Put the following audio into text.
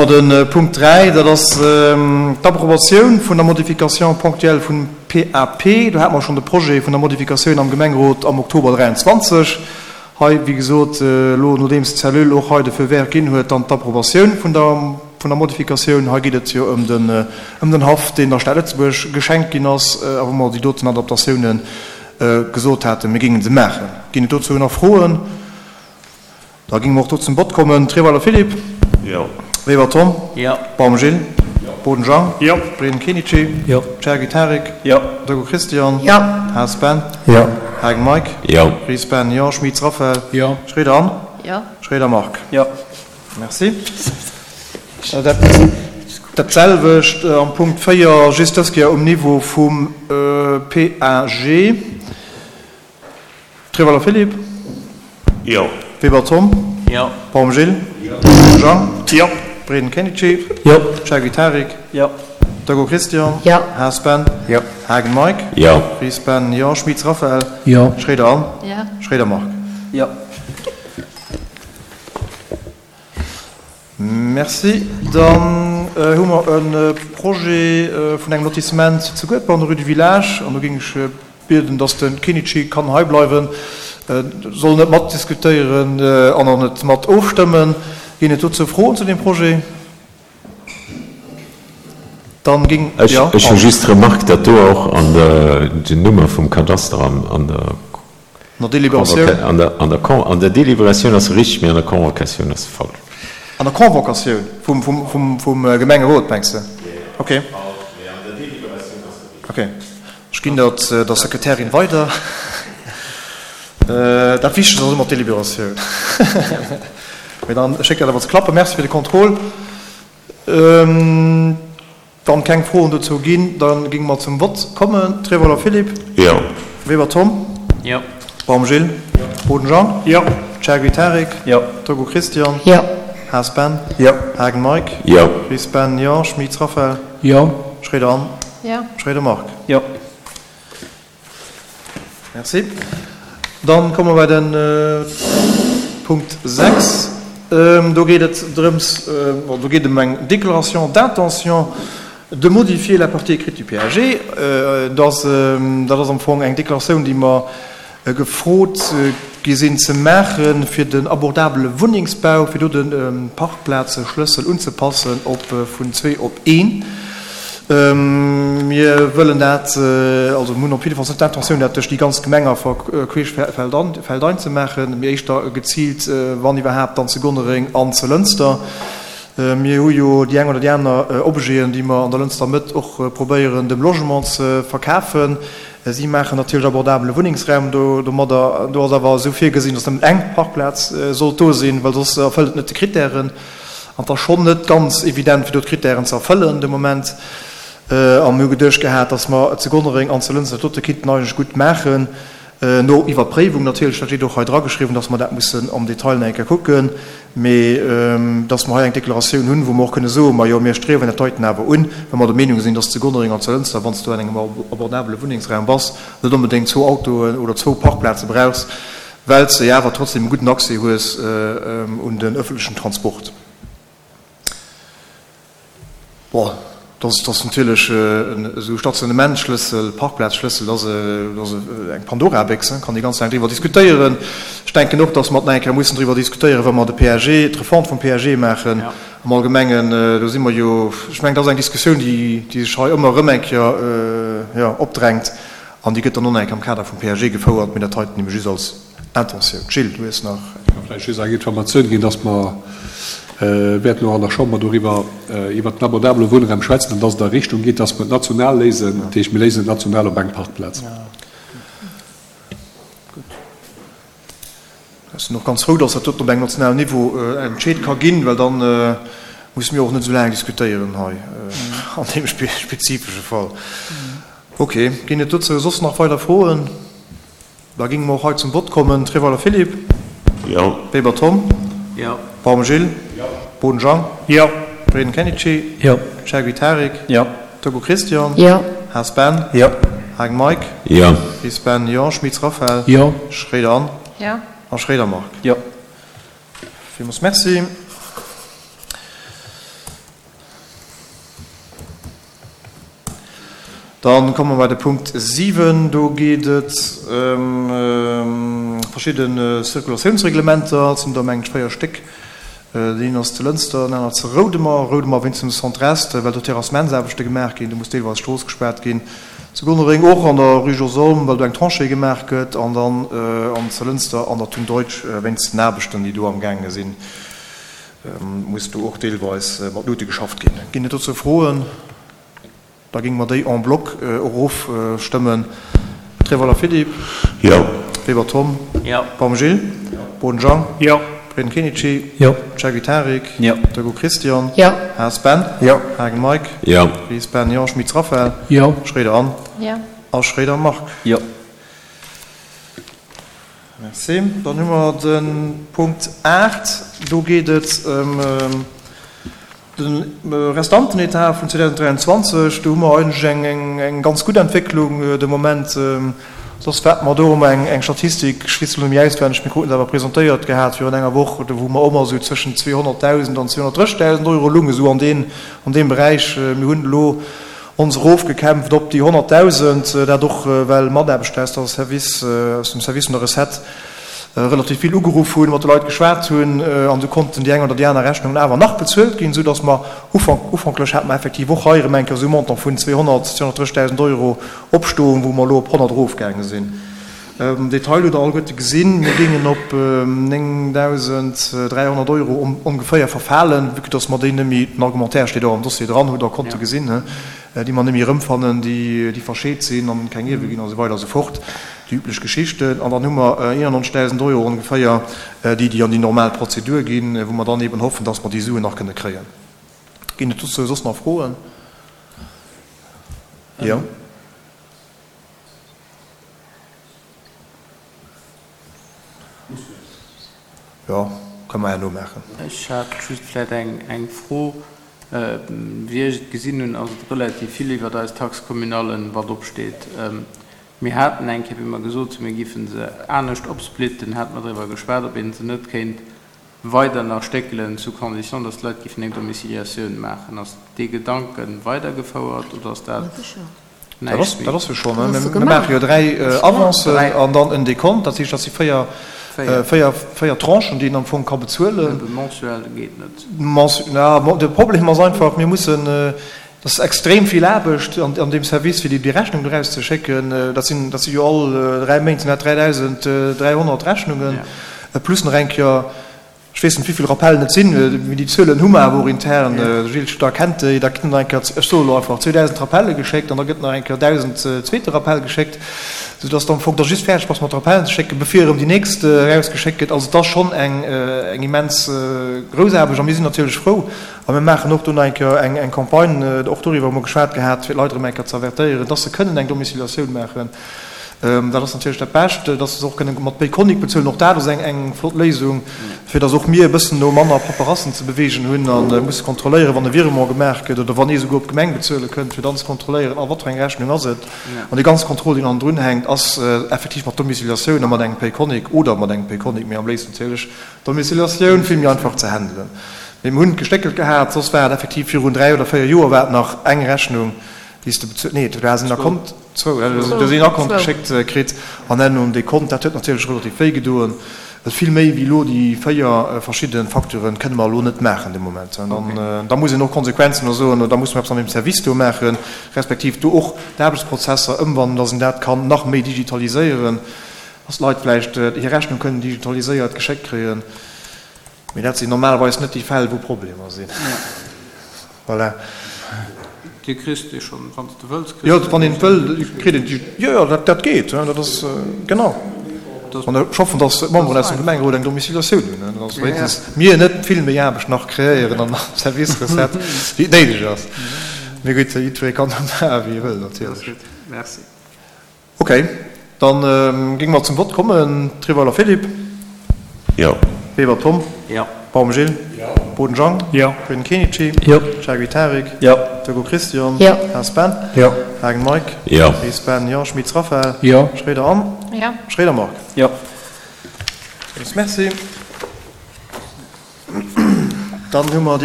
De Punkt 3, dat ass d'Approbatioun vun der Modification ponctuelle vum PAP. Do hate mer schonn de Projet vun der Modifikatioun am Gemengerot am Oktober 23. Hei, wéi gesot, elo nodeems d'Cellule och hei de Feu vert ginn huet, dann d'Approbatioun vun der vun der Modifikatioun. Hei geet et jo ëm den ëm den Haff, deen der Stad Lëtzebuerg geschenkt ginn ass a wou mer déi doten Adaptatioune gesot haten, mir géinge se maachen. Ginn et dozou nach Froen? Da géinge mer och do zum Vott kommen. Treweiler Philippe. Jo. Weber Tom. Jo. Baum Gilles. Jo. Boden Jean. Jo. Breden Kenichi. Jo. Cherki Tarik. Jo. Dego Christian. Jo. Haas Ben. Jo. Haagen Mike. Jo. Ries Ben, jo. Schmitz Raphaël. Jo. Schroeder Anne. Jo. Schroeder Marc. Jo. Merci. Dat selwecht am Punkt 4, just dës Kéier um Niveau vum PAG. Treweiler Philippe. Jo. Weber Tom. Jo. Baum Gilles. Jo. Jean. Jo. Breden Kenichi. Jo. Cherki Tarik. Jo. Dego Christian. Jo. Haas Ben. Jo. Haagen Mike. Jo. Ries Ben, jo. Schmitz Raphaël. Jo. Schroeder Anne. Jo. Schroeder Marc. Jo. Merci. Dann hu mer e Projet vun engem Lotissement zu Guedber an der Rue du Village. An do géing ech bieden, dass de Kenichi kann hei bleiwen, soll net matdiskutéieren an och net mat ofstëmmen. Ginn et dozou Froen zu deem Projet? Dann géing, jo, Ech hu just d'Remarque, datt do och an der den Nummer vum Kadaster an der An der Deliberatioun? An der, an der Con, an der Deliberatioun ass se richteg, mee an der Convocatioun ass se falsch. An der Convocatioun vum, vum, vum, vum Gemengerot, mengs de? Okay. Mee an der Deliberatioun ass se richteg. Okay. Ech ginn dat der Sekretärin weider. Dat Wichtegst ass ëmmer d'Deliberatioun. Mee dann schéck dat awer ze klappen. Merci fir de Contrôle. Wann keng Froen dozou ginn, da géinge mer zum Vott kommen. Trevoller Philippe. Jo. Weber Tom. Jo. Baum Gilles. Jo. Boden Jean. Jo. Chergui Tarik. Jo. Togo Christian. Jo. Haas Ben. Jo. Haagen Mike. Jo. Ries Ben, jo. Schmitz Raphaël. Jo. Schroeder Anne. Jo. Schroeder Marc. Jo. Merci. Dann komme mer bei de Punkt 6. Do geet et drëms, do geet et ëm eng Déclaration d'intention de modifier la partie écrite du PAG. Dat ass am Fong eng Deklaratioun, déi mer gefrot gi sinn ze maachen, fir den abordabele Wunnengsbau, fir do de Parkplazeschlëssel unzepassen op vun zwee op een. Mir wëllen dat, also mir hunn op jiddefalls net d'Intentioun, dat duerch déi ganz Gemeng a queesch feldein ze maachen, mee éischter geziilt, wann iwwerhaapt, dann zu Gonnereng an zu Lënster. Mir hu jo déi eng oder déi aner Objeten, déi mer an der Lënster Mëtt och probéieren, dem Logement ze verkafen. Si maachen natierlech abordabele Wunnengsraum domadder. Do ass awer esou virgesinn, datt nëmmen eng Parkplaz sollt do sinn, well soss erfëllt et net de Krittären. An et ass schonn net ganz evident, fir do d'Krittären ze erfëllen de Moment. A mir hu geduecht gehat, datt mer zu Gonnereng an zu Lënster dat dote kinnten eigentlech gutt maachen, no Iwwerpréiwung natierlech, dat steet och hei drageschriwwen, datt mer dat mussen am Detail nach eng Kéier kucken, mee datt mer hei eng Deklaratioun hunn, wou mer och kënne soen, majo, mir striewen dat heiten awer un, well mer der Meenung sinn, datt zu Gonnereng an zu Lënster, wann s du an engem abordabele Wunnengsraum bass, net onbedéngt zwou Autoen oder zwou Parkplaze brauchs, well s de jo awer trotzdem e gudden Accès hues un den öffentlechen Transport. Bon, dat ass natierlech esou Stationementschlëssel, Parkplazschlëssel, dat ass eng Pandora-Béchs, kann ee ganz laang driwwer diskutéieren. Ech denken och, datt mer nach eng Kéier mussen driwwer diskutéieren, wa mer de PAG, d'Refonte vum PAG maachen am Allgemengen. Do si mer jo, ech mengen, dat ass eng Diskussioun, déi sech hei ëmmer erëm eng Kéier, jo, opdrängt. An déi gëtt dann och nach eng Kéier am Kader vum PAG gefouert, mee dat heiten nehme just als Intentioun. Gilles, du hues nach. Ech ka vläicht just eng Informatioun ginn, dass mer wäerten och an der Chamber doriwwer, iwwert den abordabele Wunnraum schwätzen an dass et a Richtung geet, dass mer et national léisen. Dat heescht, mir léisen et national op eng Parkplaz. Gutt. Ech sinn och ganz frou, dass dat doten op engem nationalen Niveau entscheet ka ginn, well da musse mir och net esou laang diskutéieren hei an deem spezifesche Fall. Ok, ginn et dozou soss nach weider Froen? Da géinge mer och hei zum Vott kommen. Treweiler Philippe. Jo. Weber Tom. Jo. Baum Gilles. Jo. Boden Jean. Jo. Breden Kenichi. Jo. Chergui Tarik. Jo. Togo Christian. Jo. Haas Ben. Jo. Hagen Mike. Jo. Ries Ben, jo. Schmitz Raphaël. Jo. Schroeder Anne. Jo. A Schroeder Marc. Jo. Villmools Merci. Dann komme mer bei de Punkt 7. Do geet et ëm verschidde Circulatiounsreglementer. Et sinn der, mengen ech, 4 Stéck. Deen ass zu Lënster, den aner zu Roudemer. Roudemer wéinst dem Centre Est, well do Terrassementsaarbechte gemaach ginn. Do muss deelweis d'Strooss gespaart ginn. Zu Gonnereng och an der Rue Jos Olm, well do eng Tranchée gemaach gëtt. An dann an zu Lënster an der Thun Deutsch wéinst den Aarbechten, déi do amgaange sinn, muss do och deelweis mat Luute geschafft ginn. Ginn et dozou Froen? Da géinge mer déi en bloc erofstëmmen. Trewala Philippe. Jo. Weber Tom. Jo. Baum Gilles. Jo. Boden Jean. Jo. Breden Kenichi. Jo. Cegiu Tarik. Jo. Degout Christian. Jo. Haas Ben. Jo. Haagen Mike. Jo. Ries Ben, jo. Schmitz Raphaël. Jo. Schroeder Anne. Jo. A Schroeder Marc. Jo. Merci. Dann hu mer de Punkt 8. Do geet et ëm De Restantenetat vun 2023, do hu mer eigentlech eng ganz gutt Entwécklung de Moment. Soss wat mer do hu mer eng Statistik, ech weess elo net méi auswenneg, mir kruten se awer presentéiert gehat virun enger Woch, do wou mer och esou zwëschen 200.000 an 230.000 Euro loungen, esou an deem Beräich. Mir hunn elo ons erofgekämpft op déi 100.000, dat och well Mataarbechter aus der Service, aus dem Service vun der Recette relativ vill ugeruff hunn, mat de Leit geschwat hunn an du konnten déi eng oder déi aner Rechnungen awer nach bezuelt ginn, esou datt mer ufank, ufanklech hate mer effektiv och hei erëm eng Kéier esou e Montant vun 200, 230.000 Euro opstoen, wou mer elo op 100 erofgaange sinn. Den Detail hutt Der alleguerte gesinn. Mir géingen op 9.300 Euro ongeféier verfalen, vue que datt mer déi net méi, den Argumentaire steet och am Dossier dran, hutt Der konnte gesinn, déi mer net méi erëmfannen, déi verscheet sinn an keng Ierwe ginn a sou weider a sou fort, déi üblech Geschichten. An dann hu mer 91.000 Euro ongeféier, déi déi an déi normal Prozedur ginn, wou mer dann eeben hoffen, dass mer déi Suen nach kënne kréien. Ginn et dozou soss nach Froen? Jo. Jo, kënne mer herno maachen. Ech hat just vläicht eng Fro. Wéi ech et gesinn hunn, ass et relativ vill iwwert eis Taxe communallen, wat opsteet. Mir haten eng Kéier, wéi mer gesot hunn, mir géife se anescht opsplitten, hate mer driwwer geschwat, ob ee se net kéint weider nach stéckelen, sous condition, dass d'Leit géifen eng Domiciliatioun maachen. Ass dee Gedanke weidergefouert oder ass dat näischt méi? Dat ass jo schonn. Mir maache jo dräi Avancen an dann en Dekont. Dat heescht, dat si véier, véier, véier Tranchen, déi een am Fong ka bezuelen. Mensuel geet net. Na, de Problem ass einfach, mir mussen, dat ass extrem vill Aarbecht an deem Service, fir déi Rechnung do erauszeschécken. Dat sinn, dat si jo all dräi Méint sinn dat 3.300 Rechnungen, plus nach eng Kéier, ech weess net, wéi vill Rappellen et sinn, mee déi Zuelen hu mer awer och intern. De Gilles Studer kennt déi. Da gëtt nach eng Kéier, ech soe elo einfach, 2.000 Rappelle geschéckt an da gëtt nach eng Kéier 1.000 zweete Rappell geschéckt, soudass de am Fong da just fäerdeg bass mat Rappellen ze schécken, bevir erëm déi nächst erausgeschéckt gëtt. Also et ass schonn eng immens grouss Aarbecht a mir sinn natierlech frou, A mir maachen och do nach eng Kéier eng Campagne, och doriwwer hu mer geschwat gehat, fir d'Leit erëm eng Kéier ze avertéieren, dass se kënnen eng Domiciliatioun maachen. Dat ass natierlech dat Bescht, dass se och kënnen mat Payconiq bezuelen. Och dat ass eng flott Léisung, fir dass och mir e bëssen no manner Paperassen ze beweegen hunn a musse kontrolléieren, wann e Virement gemaach gëtt oder wann ee souguer op d'Gemeng bezuele kënnt, fir dann ze kontrolléieren, a wat fir eng Rechnung ass et. An dee ganze Contrôle, deen hannendrun hänkt, ass effektiv mat Domiciliatioun a mat engem Payconiq oder mat engem Payconiq, mee am léifsten natierlech Domiciliatioun vill méi einfach ze handelen. Mee mir hunn et gestéckelt gehat, soss war et effektiv virun 3 oder 4 Joer war et nach eng Rechnung, déi s de bezuelt, nee, du has en Akkont, zwou, du hues een Akkont geschéckt kritt an herno en Dekont. Dat huet natierlech relativ wéi gedoen, well vill méi wéi elo déi 4 verschidde Facturen kënne mer elo net maachen de Moment. An da muss een och konsequent sinn a soen, da musse mer eppes an deem Service do maachen, respektiv do och d'Aarbechtsprozesser ëmwandeln, dass een dat kann nach méi digitaliséieren. Dass d'Leit vläicht hir Rechnung kënnen digitaliséiert geschéckt kréien. Mee dat sinn normalerweis net déi Fäll, wou Problemer sinn. Voilà. Dir kriss déi schonn, wann s de wëlls, kriss de déi. Jo, wann een et wëll, kritt een déi. Jo, jo, dat geet. Dat ass, genau. An ech hoffen, dass d'Memberen aus dem Gemengerot eng Domiciliatioun hunn, dass wéinstens mir net vill méi Aarbecht nach kreéieren an der Service Recette, wéi et néideg ass. Mee gutt, jiddweree kann da maachen, wéi e wëll, natierlech. Merci. Ok, dann géinge mer zum Vott kommen. Treweiler Philippe. Jo. Weber Tom. Jo. Baum Gilles. Jo. Boden Jean. Jo. Breden Kenichi. Jo. Chaguy Tarik. Jo. Degout Christian. Jo. Haas Ben. Jo. Haagen Mike. Jo. Ries Ben, jo. Schmitz Raphaël. Jo. Schroeder Anne. Jo. Schroeder Marc. Jo. Merci. Dann hu mer déi.